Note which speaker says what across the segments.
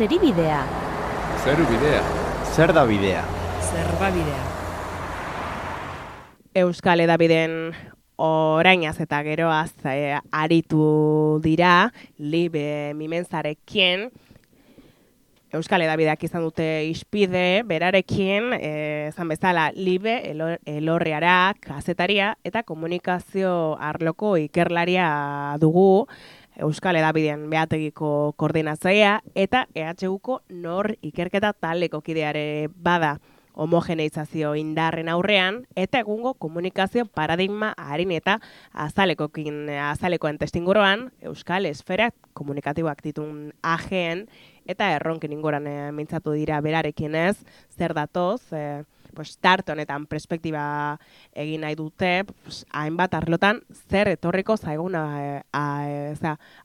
Speaker 1: Zeribidea.
Speaker 2: Zerubidea.
Speaker 3: Zer da bidea?
Speaker 4: Zerbabidea.
Speaker 5: Euskal Hedabideen orainaz eta geroaz aritu dira Libe Mimenzarekin. Euskal Hedabideak izan dute ispide, berarekin, esan bezala, Libe Elorriara, kazetaria eta komunikazio arloko ikerlaria dugu, Euskal Hedabideen behategiko koordinatzailea eta EHUko nor ikerketa taldeko kideare bada homogeneizazio indarren aurrean eta egungo komunikazio paradigma harin eta azalekoen testinguroan Euskal Esfera komunikatiboak ditun ageen eta erronken ingoran mintzatu dira berarekin ez, zer datoz, tarte honetan perspektiba egin nahi dute, hainbat arlotan zer etorriko zaiguna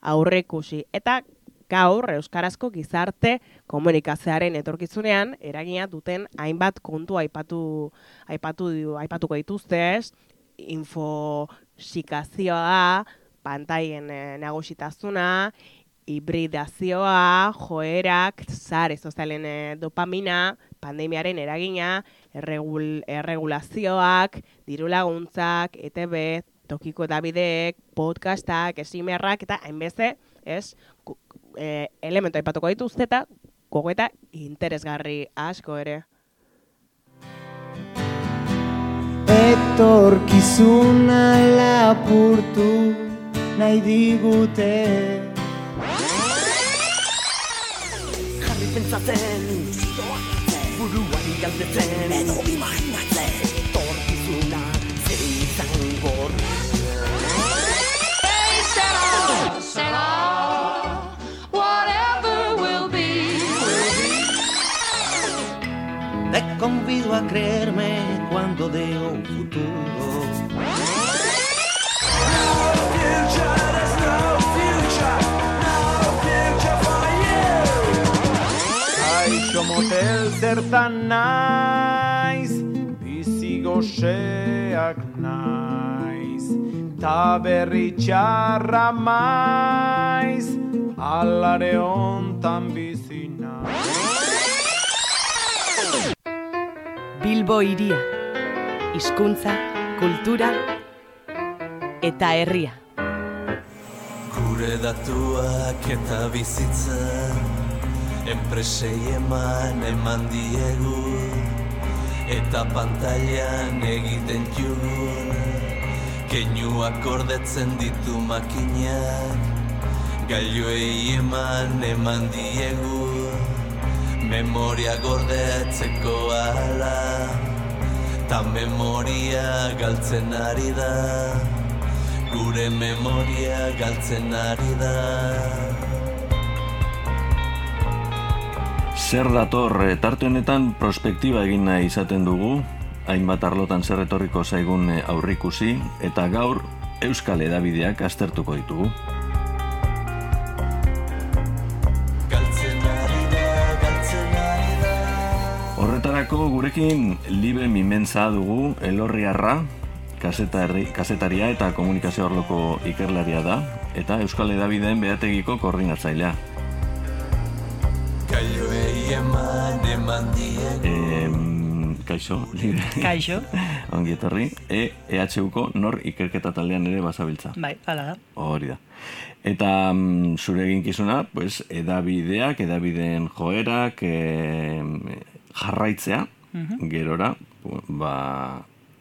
Speaker 5: aurreikusi. Eta gaur euskarazko gizarte komunikazioaren etorkizunean eragina duten hainbat kontu aipatuko dituzte, infosikazioa da, pantailen nagusitasuna, hibridazioa, joerak, sare sozialen dopamina, pandemiaren eragina, erregulazioak, dirulaguntzak, ETB, tokiko edabideek, podcastak, esimerrak eta hainbeste, elementu aipatuko dituzte eta gogoeta interesgarri asko ere.
Speaker 3: Etorkizuna lapurtu nahi digute.
Speaker 6: Jarri pentsatzen, buruari galdetzen, edo imaginatzen, etorkizuna zein izangor.
Speaker 7: Te convido a creerme cuando deo un futuro.
Speaker 3: Aixo motel zertan naiz, bizi goxeak naiz, ta berri txarra maiz, alare hontan bizi naiz.
Speaker 4: Bilbo hiria, hizkuntza, kultura eta herria.
Speaker 7: Gure datuak eta bizitza, enpresei eman diegu, eta pantailan egiten jugun, keinuak gordetzen ditu makinak, gailuei eman diegu, memoria gordetzeko ala, ta memoria galtzen ari da, gure memoria galtzen ari da.
Speaker 8: Zer dator, tarte honetan prospektiba egin nahi izaten dugu, hainbat arlotan zer etorriko zaigun aurrikusi, eta gaur Euskal Hedabideak aztertuko ditugu. Horretarako gurekin Libe Mimenza dugu, Elorriarra, kazetaria eta komunikazio arloko ikerlaria da, eta Euskal Hedabideen behategiko koordinatzailea. Kaixo, Libe.
Speaker 4: Kaixo.
Speaker 8: Ongi etorri. EHUko nor ikerketa taldean ere bazabiltza.
Speaker 4: Bai, hala da.
Speaker 8: Hori da. Eta zure eginkizuna, edabideak, edabideen joerak, jarraitzea, gerora,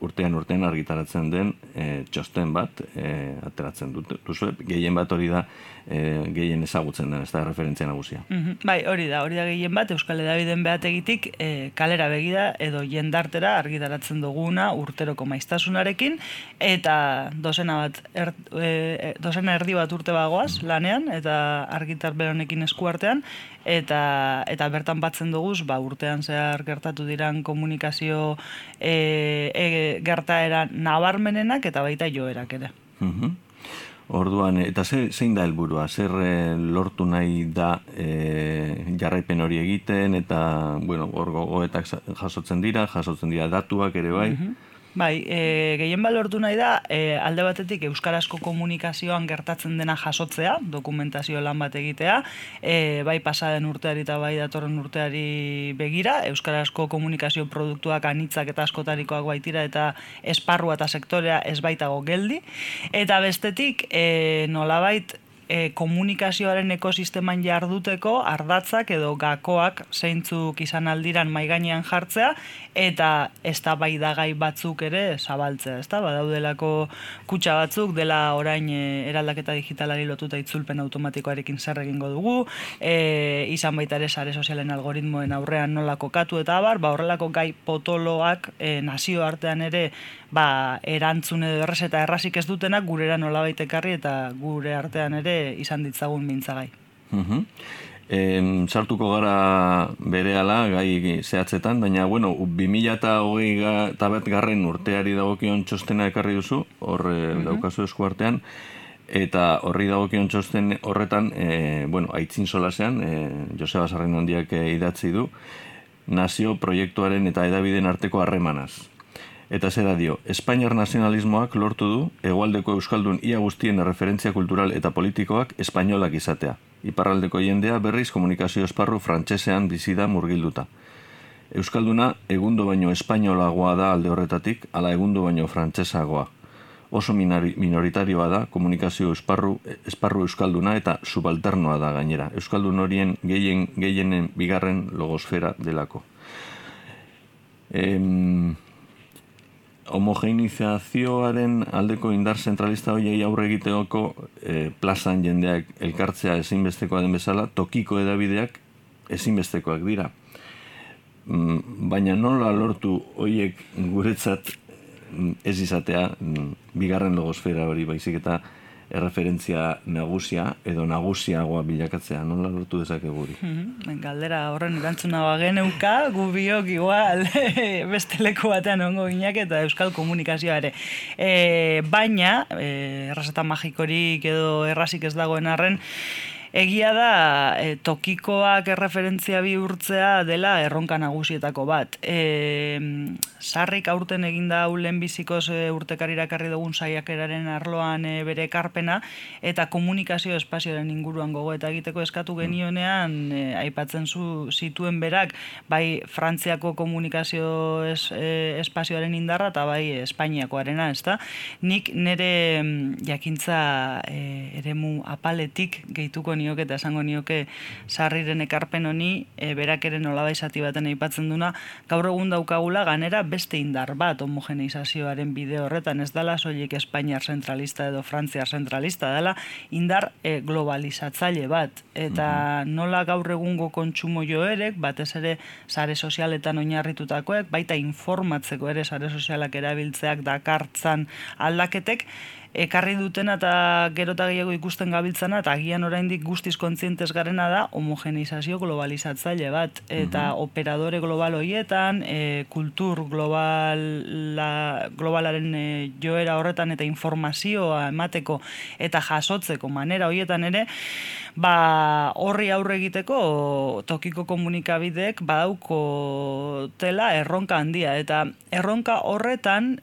Speaker 8: urtean argitaratzen den txosten bat ateratzen duzu. Gehien bat hori da gehien ezagutzen den, ez da referentzia nagusia.
Speaker 4: Bai, hori da gehien bat Euskal Hedabideen behategitik kalera begida edo jendartera argitaratzen duguna urteroko maiztasunarekin eta dozena erdi bat urte bagoaz lanean eta argitarpen honekin eskuartean eta bertan batzen duguz urtean zehar gertatu diran komunikazio gertaera nabarmenenak eta baita joerak ere.
Speaker 8: Orduan, eta zein da helburua? Zer lortu nahi da jarraipen hori egiten eta, hor gogoetak jasotzen dira datuak ere bai?
Speaker 4: Bai, gehien balortu nahi da, alde batetik euskarazko komunikazioan gertatzen dena jasotzea, dokumentazio lan bat egitea, bai pasaden urteari eta bai datorren urteari begira, euskarazko komunikazio produktuak anitzak eta askotarikoak baitira eta esparrua eta sektorea ez baitago geldi, eta bestetik nolabait komunikazioaren ekosisteman jarduteko ardatzak edo gakoak zeintzuk izan aldiran maigainean jartzea eta eztabaidagai batzuk ere zabaltzea, ezta? Badaudelako kutxa batzuk dela orain eraldaketa digitalari lotuta itzulpen automatikoarekin zer egingo dugu, izan baita ere sare sozialen algoritmoen aurrean nola kokatu eta abar, horrelako gai potoloak nazioartean ere erantzun edo errez eta errazik ez dutenak gurera nolabait ekarri eta gure artean ere izan ditzagun mintzagai.
Speaker 8: Sartuko gara berehala gai zehatzetan, baina 2021 urteari dagokion txostena ekarri duzu, hor daukazu esku artean, eta horri dagokion txosten horretan, aitzin solasean, Joseba Sarrinondiak idatzi du, nazio proiektuaren eta hedabideen arteko harremanaz. Eta zera dio, Espainiar nazionalismoak lortu du hegoaldeko euskaldun ia guztien referentzia kultural eta politikoak espainolak izatea. Iparraldeko jendea berriz komunikazio esparru frantsesean bizi da murgilduta. Euskalduna egundo baino espainolagoa da alde horretatik, ala egundo baino frantsesagoa. Oso minoritarioa da komunikazio esparru euskalduna eta subalternoa da gainera. Euskaldun horien gehienen bigarren logosfera delako. Homogenizazioaren aldeko indar zentralista horiei aurre egiteoko plazan jendeak elkartzea ezinbestekoa den bezala, tokiko hedabideak ezinbestekoak dira. Baina nola lortu horiek guretzat ez izatea bigarren logosfera hori baizik eta erreferentzia nagusia edo nagusiagoa bilakatzea, nola lortu dezakegu hori?
Speaker 4: Galdera horren erantzuna bageneuka, gu biok igual beste leku batean ongo ginak eta euskal komunikazioa ere. Baina, errazeta magikorik edo errazik ez dagoen arren, egia da tokikoak erreferentzia bihurtzea dela erronka nagusietako bat. Sarrik aurten eginda hau lehenbizikoz urtekarira ekarri dugun saiakeraren arloan bere ekarpena eta komunikazio espazioaren inguruan gogoeta egiteko eskatu genionean aipatzen zituen berak bai Frantziako komunikazio espazioaren indarra eta bai Espainiakoarena, ezta? Nik nire jakintza eremu apaletik gehituko nioke eta esango nioke Sarriren ekarpen honi berak ere nolabait zati baten aipatzen duna, gaur egun daukagula ganera beste indar bat homogeneizazioaren bide horretan, ez dela soilik Espainiar zentralista edo Frantziar zentralista, dela indar globalizatzaile bat, eta nola gaur egungo kontsumo joerek, batez ere sare sozialetan oinarritutakoek, baita informatzeko ere sare sozialak erabiltzeak dakartzan aldaketek, ekarri dutena eta gero eta gehiago ikusten gabiltzana eta agian oraindik guztiz kontzientes garena da homogeneizazio globalizatzaile bat eta operadore global horietan, kultur globalaren joera horretan eta informazioa emateko eta jasotzeko manera horietan ere, horri aurre egiteko tokiko komunikabideek badaukotela erronka handia eta erronka horretan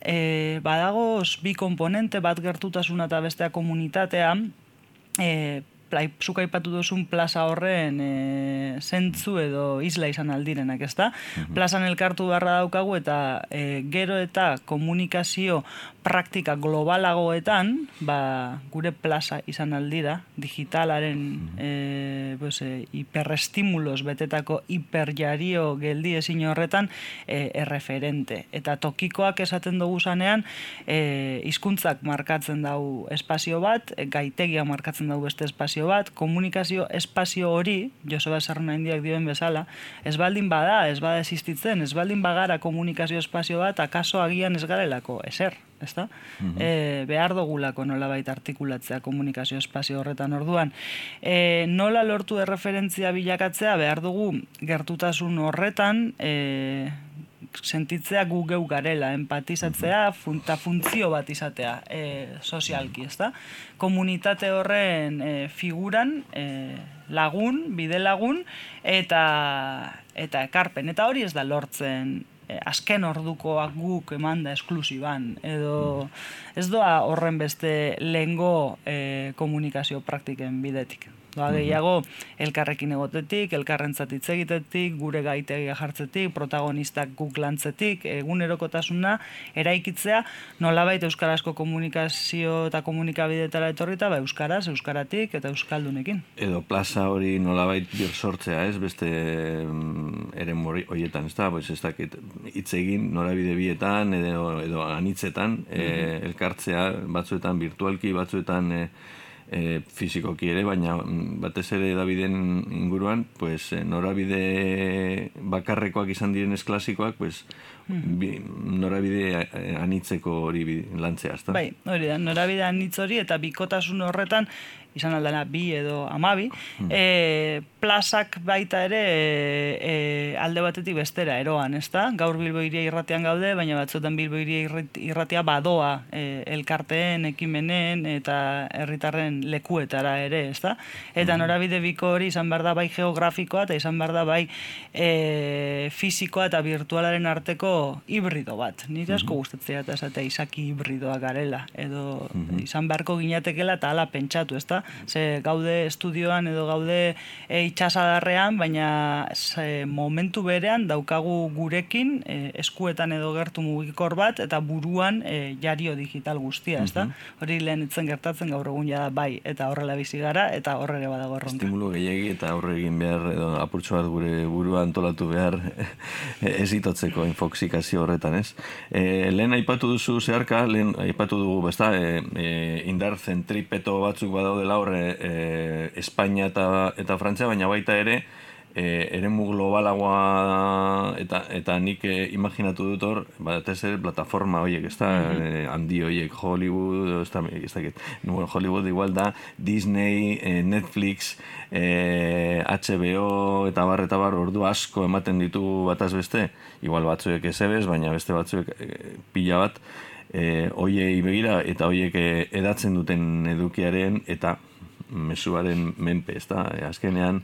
Speaker 4: badagoz bi komponente bat gertutasuna eta bestea komunitatea, zuk aipatu duzun plaza horren zentzu edo isla izan aldirenak, ezta? Plazan elkartu beharra daukagu eta gero eta komunikazio praktika globalagoetan, gure plaza izan aldira, digitalaren hiperestimulos betetako hiperjario geldi ezin horretan erreferente. Eta tokikoak esaten dugu zanean, hizkuntzak markatzen dau espazio bat, gaitegia markatzen dau beste espazio bat, komunikazio espazio hori, Joseba Sarrinondiak dioen bezala, ez baldin bada, ez bada existitzen, ez baldin bagara komunikazio espazio bat, akaso agian ez garelako ezer, ezta? Behar dugulako nolabait artikulatzea komunikazio espazio horretan orduan. Nola lortu erreferentzia bilakatzea, behar dugu gertutasun horretan, sentitzea gu geu garela, empatizatzea eta funtzio bat izatea sozialki, ezta? Komunitate horren figuran lagun, bide lagun eta ekarpen. Eta hori ez da lortzen azken ordukoak guk emanda esklusiban, edo ez doa horren beste lehengo komunikazio praktiken bidetik. Doa gehiago, elkarrekin egotetik, elkarrentzat hitz egitetik, gure gaitegia jartzetik, protagonistak guk lantzetik, egunerokotasuna eraikitzea, nolabait euskarazko komunikazio eta komunikabidetara etorrita, euskaratik eta euskaldunekin.
Speaker 8: Edo plaza hori nolabait sortzea, ez? Beste eren horietan, ez da? Ez dakit, hitz egin norabide bietan, edo anitzetan, elkartzea batzuetan virtualki, batzuetan fizikoki ere, baina batez ere edabideen inguruan, pues, norabide bakarrekoak izan direnez klasikoak, pues, norabide anitzeko hori lantzea, ezta?
Speaker 4: Bai, hori da, norabide anitz hori eta bikotasun horretan, izan aldana 2 edo 12, plazak baita ere alde batetik bestera eroan, ezta? Gaur Bilbo Hiria Irratian gaude, baina batzuetan Bilbo Hiria Irratia badoa elkarteen, ekimenen eta herritarren lekuetara ere, ezta? Eta norabide biko hori izan behar da bai geografikoa eta izan behar da bai fisikoa eta virtualaren arteko hibrido bat. Nire asko gustatzea eta esatea izaki hibridoa garela, edo izan beharko ginatekela eta hala pentsatu, ezta? Ze gaude estudioan edo gaude itxasadarrean, baina momentu berean daukagu gurekin eskuetan edo gertu mugikor bat eta buruan jario digital guztia, ezta? Hori lehen itzen gertatzen gaur egun jada bai, eta horrela bizi gara eta horrere badago erronka.
Speaker 8: Estimulu gehiagi eta aurre egin behar edo apurtxo bat gure burua antolatu behar ezitotzeko infoxikazio horretan, ez? Lehen aipatu duzu zeharka, lehen aipatu dugu, besta, indar zentripeto batzuk badaudela horre Espainia eta Frantzia, baina baita ere eremu globalagoa eta nik imaginatu dut hor, batez ere plataforma horiek, ez da, handi horiek, Hollywood, Hollywood igual da, Disney, Netflix, HBO eta bar, ordu asko ematen ditu bataz beste, igual batzuek ezebez, baina beste batzuek pila bat, hoiei begira eta hoiek edatzen duten edukiaren eta mezuaren menpe, ez da, azkenean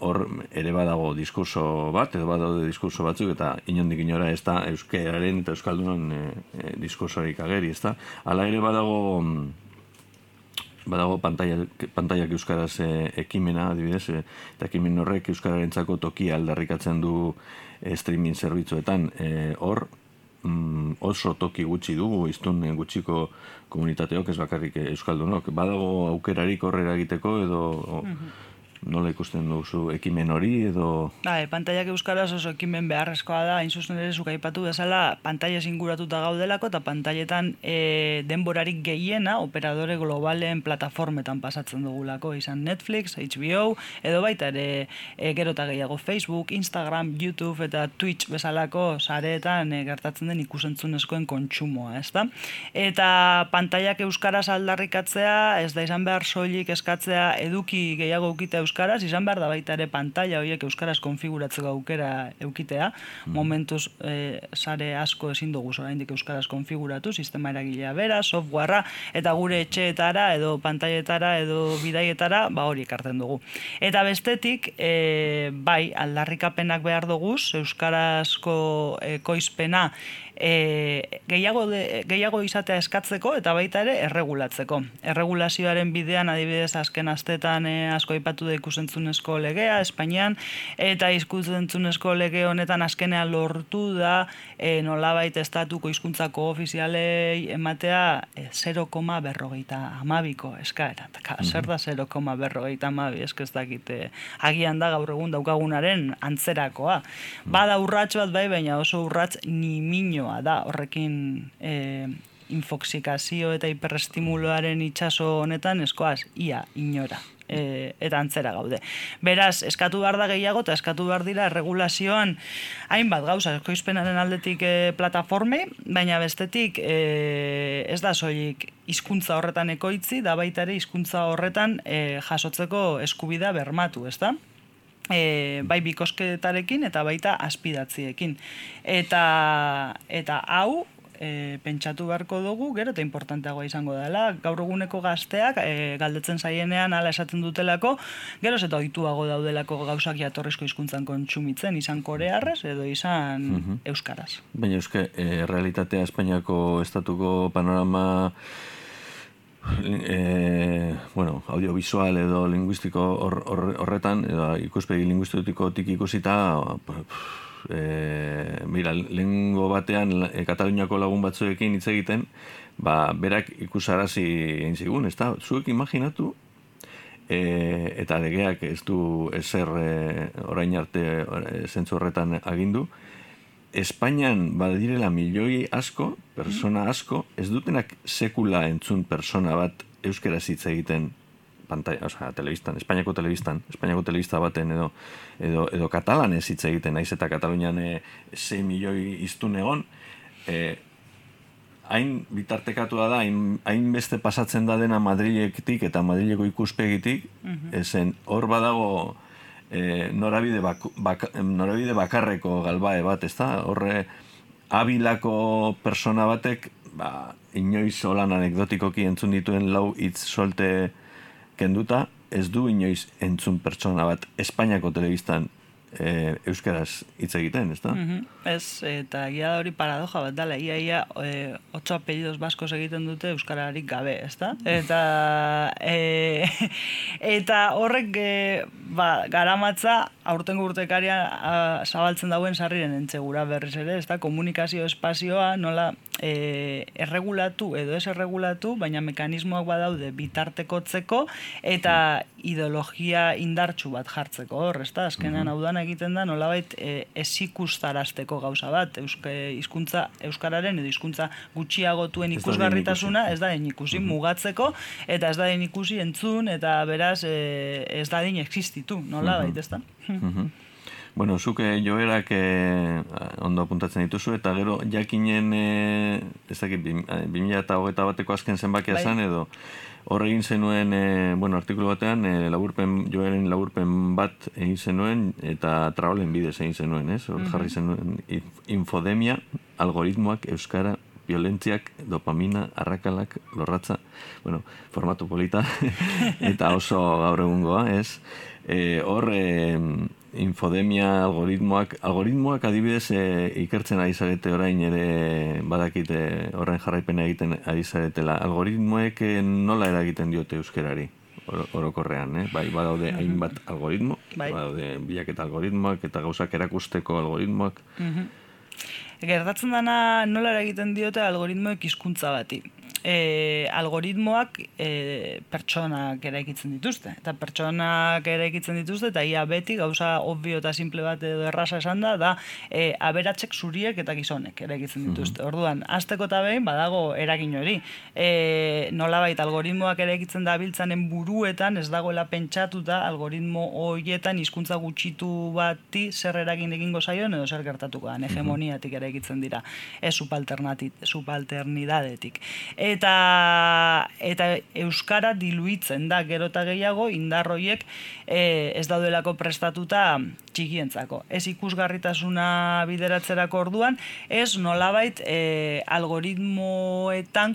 Speaker 8: hor ere badago diskurso bat, edo badaude diskurso batzuk, eta inondik inora ez da euskararen eta euskaldunon diskursorik ageri, ez da. Hala ere badago pantaiak euskaraz ekimena, adibidez, eta ekimen horrek euskararentzako tokia aldarrikatzen du streaming zerbitzuetan. Hor, oso toki gutxi dugu, iztun gutxiko komunitateok, ez bakarrik euskaldunok. Badago aukerarik horrera egiteko, edo nola ikusten duzu ekimen hori, edo...
Speaker 4: Pantaiak euskaraz oso ekimen beharrezkoa da, hain zuzen ere zuk aipatu bezala, pantailez inguratuta gaudelako, eta pantailetan denborarik gehiena operadore globalen plataformetan pasatzen dugulako, izan Netflix, HBO, edo baita ere gero eta gehiago Facebook, Instagram, YouTube eta Twitch bezalako sareetan gertatzen den ikusentzunezkoen kontsumoa, ezta? Eta pantaiak euskaraz aldarrikatzea, ez da izan behar soilik eskatzea eduki gehiago eukita euskaraz, izan behar da baita ere pantalla horiek euskaraz konfiguratzeko aukera eukitea, momentuz sare asko ezin dugu oraindik euskaraz konfiguratu, sistema eragilea bera, softwarea, eta gure etxeetara edo pantailetara edo bidaietara, hori ekartzen dugu. Eta bestetik, bai, aldarrikapenak behar dugu, euskarazko ekoizpena gehiago izatea eskatzeko eta baita ere erregulatzeko. Erregulazioaren bidean adibidez azken astetan asko aipatu da ikusentzunezko legea Espainian, eta ikusentzunezko lege honetan azkenean lortu da nolabait estatuko hizkuntzako ofizialei ematea 0,52ko eskaera. Zer da 0,52? Ez dakite agian da gaur egun daukagunaren antzerakoa. Bada urrats bat bai, baina oso urrats niminoa da horrekin infoxikazio eta hiperestimuloaren itxaso honetan eskoaz ia inora. Eta antzera gaude. Beraz, eskatu behar da gehiago eta eskatu behar dira erregulazioan hainbat gauza, ekoizpenaren aldetik plataformei, baina bestetik ez da soilik hizkuntza horretan ekoitzi, da baita ere hizkuntza horretan jasotzeko eskubidea bermatu, ezta? Bai bikosketarekin eta baita azpidatziekin. Eta hau pentsatu beharko dugu, gero eta importanteagoa izango dela. Gaur eguneko gazteak galdetzen zaienean hala esaten dutelako, geroz eta ohituago daudelako gauzak jatorrizko hizkuntzan kontsumitzen, izan korearrez edo izan euskaraz.
Speaker 8: Baina realitatea Espainiako estatuko panorama audiovisual edo linguistiko horretan, edo ikuspegi linguistikotik ikusita, lehengo batean Kataluniako lagun batzuekin hitz egiten, berak ikusarazi egin zigun, ez da? Zuek imaginatu, eta legeak ez du ezer orain arte zentzu horretan agindu, Espainian badirela milioi asko, persona asko, ez dutenak sekula entzun persona bat euskaraz hitz egiten telebistan, Espainiako telebista baten edo katalanez hitz egiten, naiz eta Katalunian 6 milioi hiztun egon, hain bitartekatua da, hain beste pasatzen da dena Madriletik eta Madrileko ikuspegitik, ezen hor badago norabide bakarreko galbae bat, ez da? Horre, Abilako persona batek, inoiz holan anekdotikoki entzun dituen lau hitz solte kenduta, ez du inoiz entzun pertsona bat Espainiako telebistan euskaraz hitz egiten, ez da?
Speaker 4: Ez, eta egia da hori paradoja bat dala, ia 8 apellidos baskos egiten dute euskararik gabe, ez da? Eta horrek garamatza aurtengo urtekaria zabaltzen dauen sarriren entzegura berriz ere, ez da? Komunikazio espazioa nola erregulatu edo ez erregulatu, baina mekanismoak badaude bitartekotzeko eta ideologia indartsu bat jartzeko hor, ez da? Azkenean hau dana egiten da nolabait ez ikustarazteko gauza bat, hizkuntza euskararen edo hizkuntza gutxiagotuen ikusgarritasuna ez da den ikusi mugatzeko, eta ez da den ikusi entzun, eta beraz ez da den existitu, nolabait, ez da?
Speaker 8: Bueno, zuk joerak ondo apuntatzen dituzu, eta gero jakinen, ez dakit, 2021 bateko azken zenbakia zen, edo hor egin zenuen, artikulu batean, joeren laburpen bat egin zenuen, eta traolen bidez egin zenuen, ez? Hor jarri zenuen infodemia, algoritmoak, euskara, violentziak, dopamina, arrakalak, lorratza, formatu polita, eta oso gaur egungoa, ez? Hor, infodemia, algoritmoak adibidez ikertzen ari zarete orain ere badakite horren jarraipena egiten ari zaretela. Algoritmoek nola eragiten diote euskerari orokorrean, badaude hainbat algoritmo, badaude bilaketa algoritmoak eta gauzak erakusteko algoritmoak.
Speaker 4: Gertatzen dana nola eragiten diote algoritmoek hizkuntza bati. Algoritmoak pertsonak eraikitzen dituzte. Eta pertsonak eraikitzen dituzte, eta ia beti gauza obvio eta simple bat edo erraza esan da aberatsek zuriek eta gizonek eraikitzen dituzte. Orduan, hasteko eta behin badago eragin hori. Nolabait algoritmoak eraikitzen da biltzanen buruetan ez dagoela pentsatuta algoritmo horietan hizkuntza gutxitu bati zer eragin egingo zaion edo zer gertatuko da. Hegemoniatik eraikitzen dira. Ez subalternidadetik. Eta euskara diluitzen da gero eta gehiago indar horiek ez daudelako prestatuta txikientzako. Ez ikusgarritasuna bideratzerako orduan, ez nolabait algoritmoetan